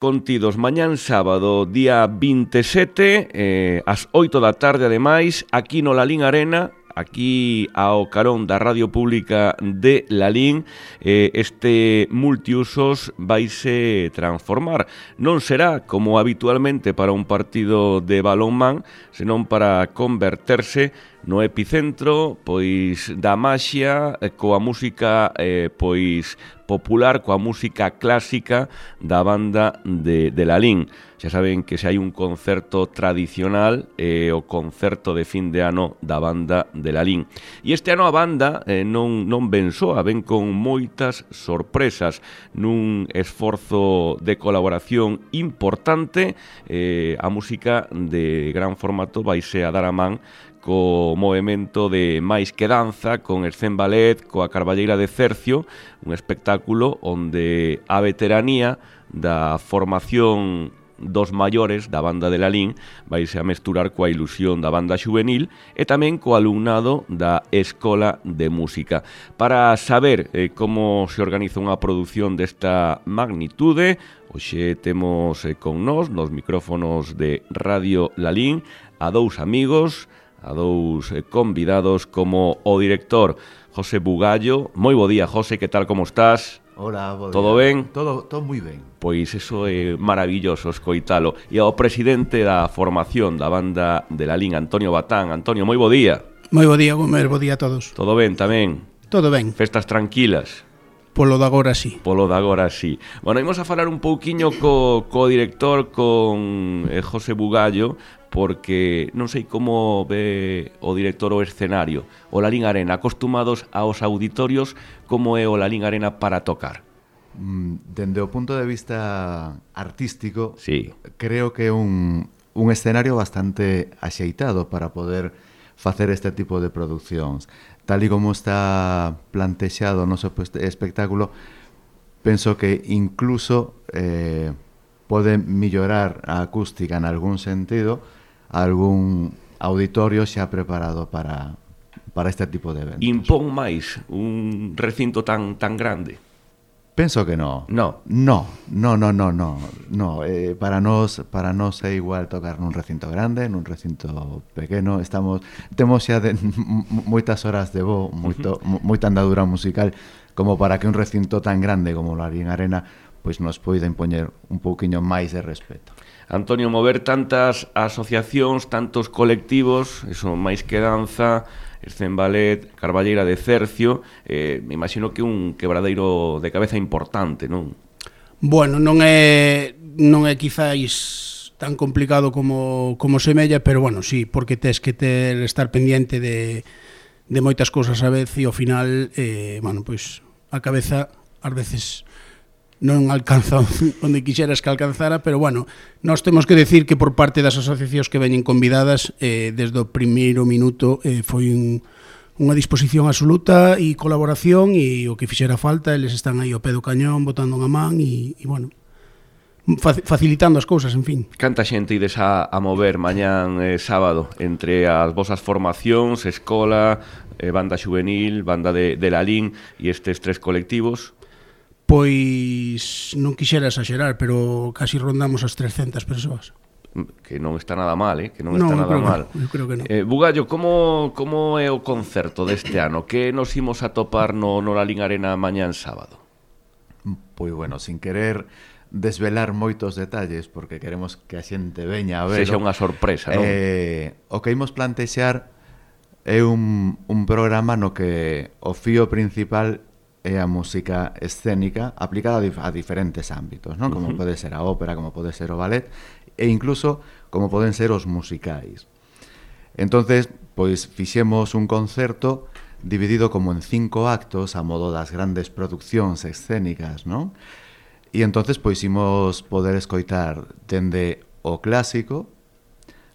Contidos mañán sábado, día 27, ás 8 da tarde, ademais, aquí no Lalín Arena, aquí ao carón da Radio Pública de Lalín, este multiusos vaise transformar. Non será, como habitualmente para un partido de balonmán, senón para converterse no epicentro pois da maxia coa música pois popular, coa música clásica da banda de Lalín. Xa saben que se hai un concerto tradicional, o concerto de fin de ano da banda de Lalín. E este ano a banda non ven soa, ven con moitas sorpresas nun esforzo de colaboración importante. A música de gran formato vaise a dar a man co movimento de Máis que Danza, con Escén Ballet, coa Carballeira de Cercio, un espectáculo onde a veteranía da formación dos maiores da banda de Lalín vaise a mesturar coa ilusión da banda xuvenil e tamén co alumnado da Escola de Música. Para saber como se organiza unha produción desta magnitude, hoxe temos con nós, nos micrófonos de Radio Lalín, a dous amigos, a dous convidados, como o director José Bugallo. Moi bo día, José, que tal, como estás? Hola, bo día. Todo ben? Todo moi ben. Pois iso é maravilloso escoitalo. E ao presidente da formación da banda de Lalín, Antonio Batán. Antonio, moi bo día. Moi bo día, Gomer, bo día a todos. Todo ben tamén? Todo ben. Festas tranquilas? Polo de agora sí. Polo de agora sí. Bueno, imos a falar un pouquiño co director, con José Bugallo, porque non sei como ve o director o escenario. O Lalín Arena, acostumados aos auditorios, como é o Lalín Arena para tocar? Dende o punto de vista artístico, sí, creo que é un escenario bastante axeitado para poder facer este tipo de produccións. Tal e como está plantexado o noso espectáculo, penso que incluso pode mellorar a acústica en algún sentido, algún auditorio xa preparado para este tipo de eventos. Impón máis un recinto tan grande? Penso que no. No. Para nós é igual tocar nun recinto grande, nun recinto pequeno. Temos xa moitas horas de voo, moita andadura musical, como para que un recinto tan grande como o Lalín Arena pois nos poida impoñer un pouquiño máis de respeto. Antonio, mover tantas asociacións, tantos colectivos, eso, Máis que Danza, Escén Ballet, Carballeira de Cercio, me imagino que un quebradeiro de cabeza importante, non? Bueno, non é quizáis tan complicado como semella, pero bueno, sí, porque tes que estar pendiente de moitas cousas a vez e ao final, bueno, pois a cabeza ás veces non alcanza onde quixeras que alcanzara, pero bueno, nós temos que decir que por parte das asociacións que veñen convidadas, desde o primeiro minuto foi unha disposición absoluta e colaboración, e o que fixera falta, eles están aí ao pé do cañón, botando unha man e bueno, facilitando as cousas, en fin. Canta xente ides a mover mañán sábado entre as vosas formacións, escola, banda xuvenil, banda de Lalín e estes tres colectivos? Pois non quixera exagerar, pero casi rondamos as 300 persoas. Que non está nada mal, que non está nada mal. Eu creo que non. Bugallo, como é o concerto deste ano? Que nos imos a topar no Lalín Arena mañán sábado? Pois bueno, sin querer desvelar moitos detalles, porque queremos que a xente veña a ver. Sexa unha sorpresa, non? O que imos plantexar é un programa no que o fío principal é a música escénica aplicada a diferentes ámbitos, non? Como pode ser a ópera, como pode ser o ballet, e incluso como poden ser os musicais. Entonces, pois fixemos un concerto dividido como en 5 actos a modo das grandes produccións escénicas, non? E entonces pois imos poder escoitar dende o clásico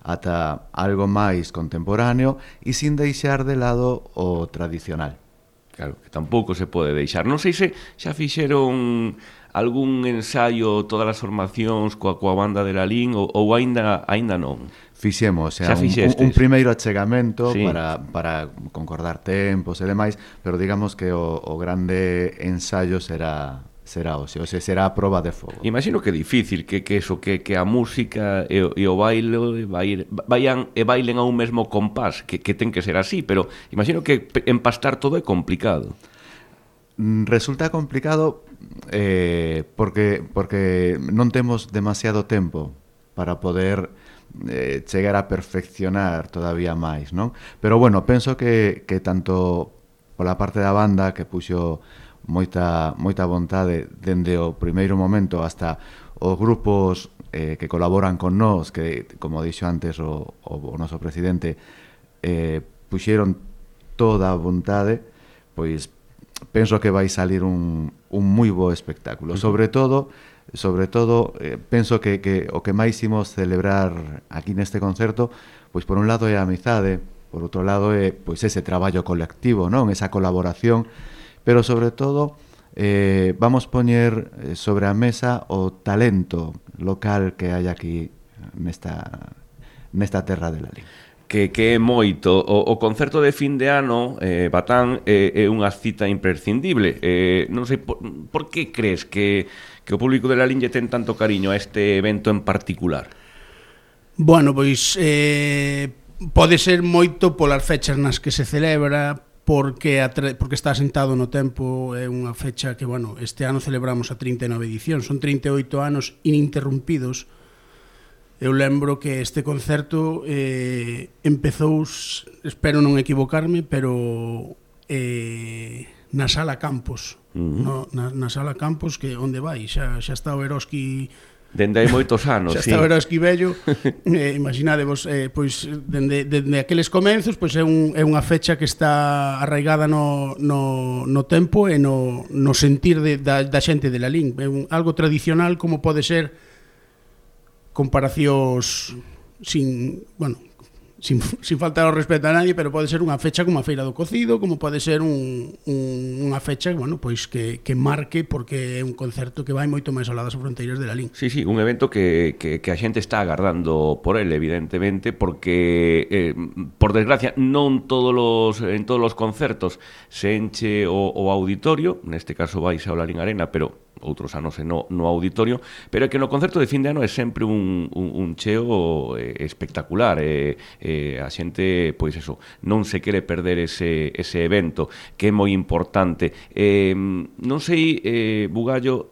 ata algo máis contemporáneo e sin deixar de lado o tradicional. Claro, que tampouco se pode deixar. Non sei se xa fixeron algún ensaio, todas as formacións coa banda de Lalín ou aínda non. Fixemos un primeiro achegamento, sí, para concordar tempos e demais, pero digamos que o grande ensaio será será hoxe, ou será a proba de fogo. Imagino que é difícil que a música e o baile vayan e bailen a un mesmo compás, que ten que ser así, pero imagino que empastar todo é complicado. Resulta complicado porque non temos demasiado tempo para poder chegar a perfeccionar todavía máis, non? Pero bueno, penso que tanto pola parte da banda que puxo moita vontade dende o primeiro momento hasta os grupos que colaboran con nós, que, como dixo antes o noso presidente, puxeron toda a vontade, pois penso que vai salir un moi bo espectáculo. Sobre todo, penso que o que máis imos celebrar aquí neste concerto, pois por un lado é a amizade, por outro lado é pois ese traballo colectivo, non? Esa colaboración, pero sobre todo vamos poñer sobre a mesa o talento local que hai aquí nesta terra de Lalín. Que é moito. O concerto de fin de ano, Batán, é unha cita imprescindible. Non sei, por que crees que o público de Lalín lle ten tanto cariño a este evento en particular? Bueno, pois pode ser moito polas fechas nas que se celebra, porque está asentado no tempo. É unha fecha que, bueno, este ano celebramos a 39 edición, son 38 anos ininterrumpidos. Eu lembro que este concerto empezou, espero non equivocarme, pero na Sala Campos. Na Sala Campos, que onde vai? Xa está o Eroski... Dende hai moitos anos, xa está o Eroski vello. Imaginadevos, pois, dende aqueles comenzos, pois é unha fecha que está arraigada no tempo e no sentir da xente de Lalín. É algo tradicional, como pode ser comparacións sin faltar ao respeto a nadie, pero pode ser unha fecha como a Feira do Cocido, como pode ser unha fecha, bueno, pois que marque, porque é un concerto que vai moito máis alá das fronteiras de Lalín. Sí, un evento que a xente está agardando por ele, evidentemente, porque por desgracia non en todos os concertos se enche o auditorio, neste caso vais ao Lalín Arena, pero outros anos no auditorio, pero é que no concerto de fin de ano é sempre un cheo espectacular. A xente, pois eso, non se quere perder ese evento, que é moi importante. Non sei, Bugallo,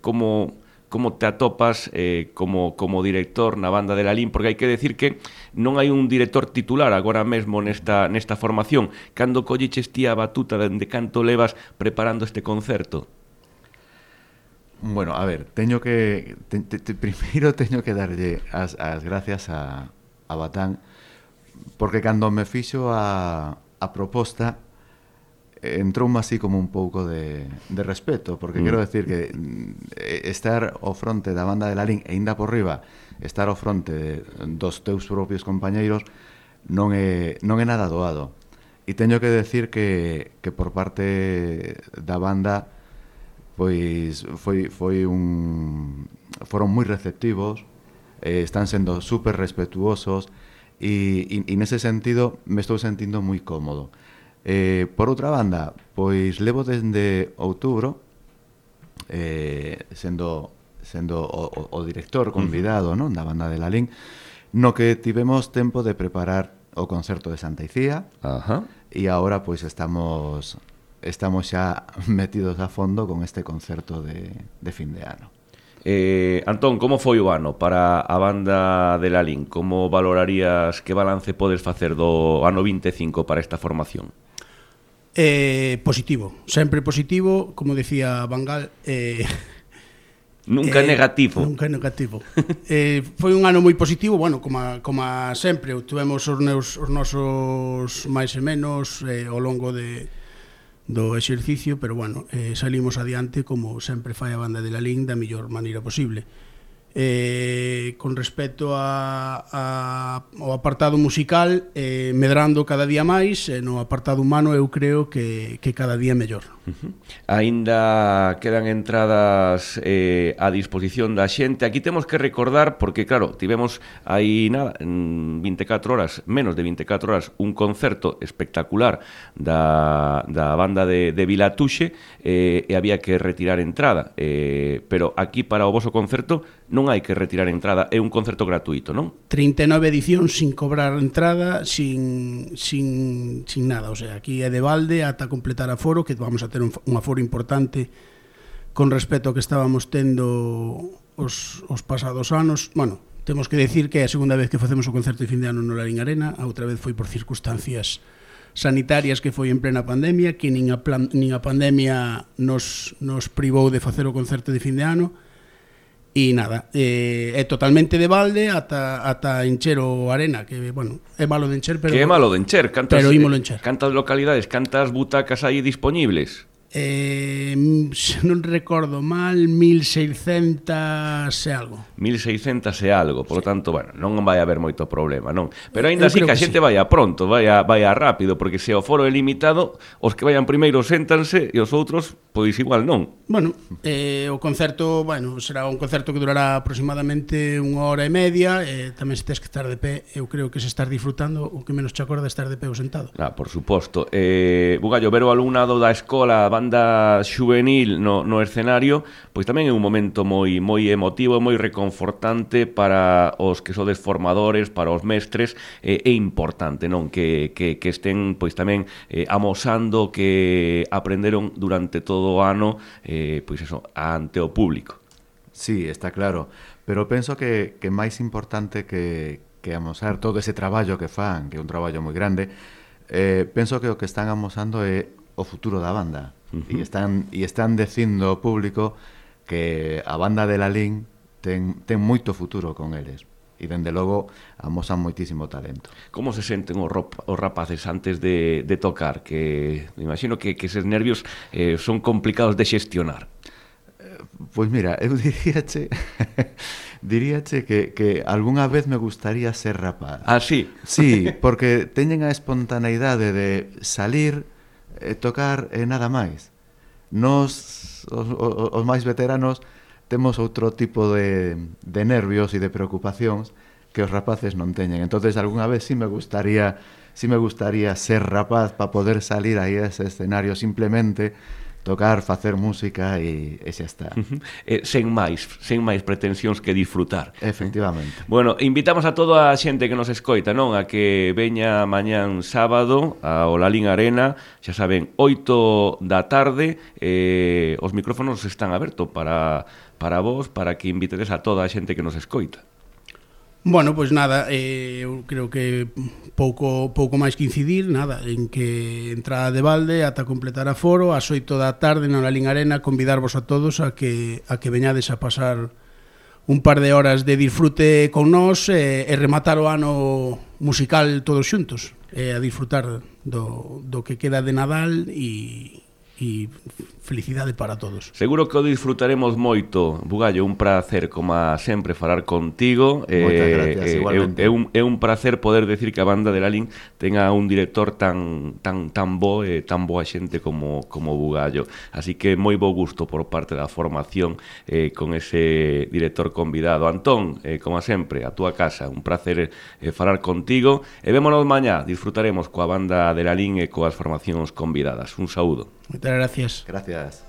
como te atopas como director na banda de Lalín, porque hai que decir que non hai un director titular agora mesmo nesta formación. Cando colliches ti a batuta, dende canto levas preparando este concerto? Bueno, a ver, primeiro teño que darlle as gracias a Batán, porque cando me fixo a proposta entroume así como un pouco de respeto, porque quero decir que estar ao fronte da banda de Lalín e ainda por riba estar ao fronte dos teus propios compañeiros non é nada doado. E teño que decir que por parte da banda pois foron moi receptivos, están sendo super respetuosos e nese sentido me estou sentindo moi cómodo. Por outra banda, pois levo dende outubro sendo o director convidado, non, da banda de Lalín, no que tivemos tempo de preparar o concerto de Santa Icía. E agora pois estamos xa metidos a fondo con este concerto de fin de ano. Antón, como foi o ano para a banda de Lalín? Como valorarías, que balance podes facer do ano 25 para esta formación? Positivo, sempre positivo, como decía Bangal. Nunca negativo. Nunca negativo. Foi un ano moi positivo, bueno, como sempre, tivemos os nosos máis e menos ao longo do exercicio, pero bueno, salimos adiante, como sempre fai a banda de Lalín, da mellor maneira posible. con respecto ao apartado musical, medrando cada día máis, e no apartado humano eu creo que cada día mellor. Aínda quedan entradas a disposición da xente. Aquí temos que recordar, porque claro, tivemos aí nada, en 24 horas, menos de 24 horas, un concerto espectacular da banda de Vilatuxe, e había que retirar entrada, pero aquí para o voso concerto non hai que retirar entrada, é un concerto gratuito, non? 39 edicións sin cobrar entrada, sin nada, o sea, aquí é de balde ata completar aforo, que vamos a ter un aforo importante con respecto ao que estábamos tendo os pasados anos. Bueno, temos que decir que é a segunda vez que facemos o concerto de fin de ano no Lalín Arena, a outra vez foi por circunstancias sanitarias, que foi en plena pandemia, que nin a pandemia nos privou de facer o concerto de fin de ano. E nada, é totalmente de balde ata encher o Arena, que, bueno, é malo de encher, pero... Que é malo de encher, pero ímolo encher. Cantas localidades, cantas butacas aí disponibles? Se non recordo mal, 1600 e algo. 1600 e algo, por lo tanto, bueno, non vai haber moito problema, non? Pero aínda así que a xente sí. vaya pronto, vaya rápido, porque se o foro é limitado, os que vayan primeiro séntanse e os outros, pois igual non. Bueno, o concerto, bueno, será un concerto que durará aproximadamente 1 hora e media, tamén se tes que estar de pé, eu creo que se estás disfrutando, o que menos te acorda estar de pé ou sentado. Por suposto. Bugallo, ver o alumnado da escola, banda xuvenil no escenario, pois tamén é un momento moi emotivo, moi reconfortante para os que sodes formadores, para os mestres, é importante, non? Que estén pois tamén amosando que aprenderon durante todo o ano, pois eso, ante o público. Sí, está claro, pero penso que máis importante que amosar todo ese traballo que fan, que é un traballo moi grande, penso que o que están amosando é o futuro da banda. E están dicindo ao público que a banda de Lalín ten moito futuro con eles, e dende logo amosan moitísimo talento. Como se senten os rapaces antes de tocar? Que me imagino que eses nervios son complicados de xestionar. Pois mira, eu diríache que algunha vez me gustaría ser rapaz. Ah, sí? Sí, porque teñen a espontaneidade de salir, tocar e nada máis. Nos, os máis veteranos, temos outro tipo de nervios e de preocupacións que os rapaces non teñen. Entonces, algunha vez sí me gustaría ser rapaz para poder salir aí a ese escenario, simplemente tocar, facer música e xa está. Sen máis pretensións que disfrutar. Efectivamente. Bueno, invitamos a toda a xente que nos escoita, non? A que veña mañán sábado ao Lalín Arena, xa saben, 8 da tarde, os micrófonos están abertos para vos, para que invitedes a toda a xente que nos escoita. Bueno, pois nada, eu creo que pouco máis que incidir, nada, en que entrada de balde ata completar aforo, ás 8 da tarde na Lalín Arena, convidarvos a todos a que veñades a pasar un par de horas de disfrute con nós e rematar o ano musical todos xuntos, a disfrutar do que queda de Nadal e felicidade para todos. Seguro que o disfrutaremos moito, Bugallo, un placer como sempre falar contigo. Moitas gracias, igualmente. É un placer poder decir que a banda de Lalín tenga un director tan bo e tan boa xente como Bugallo. Así que moi bo gusto por parte da formación con ese director convidado. Antón, como sempre, a túa casa, un placer falar contigo e vémonos mañá, disfrutaremos coa banda de Lalín e coas formacións convidadas. Un saúdo. Moitas gracias. Gracias.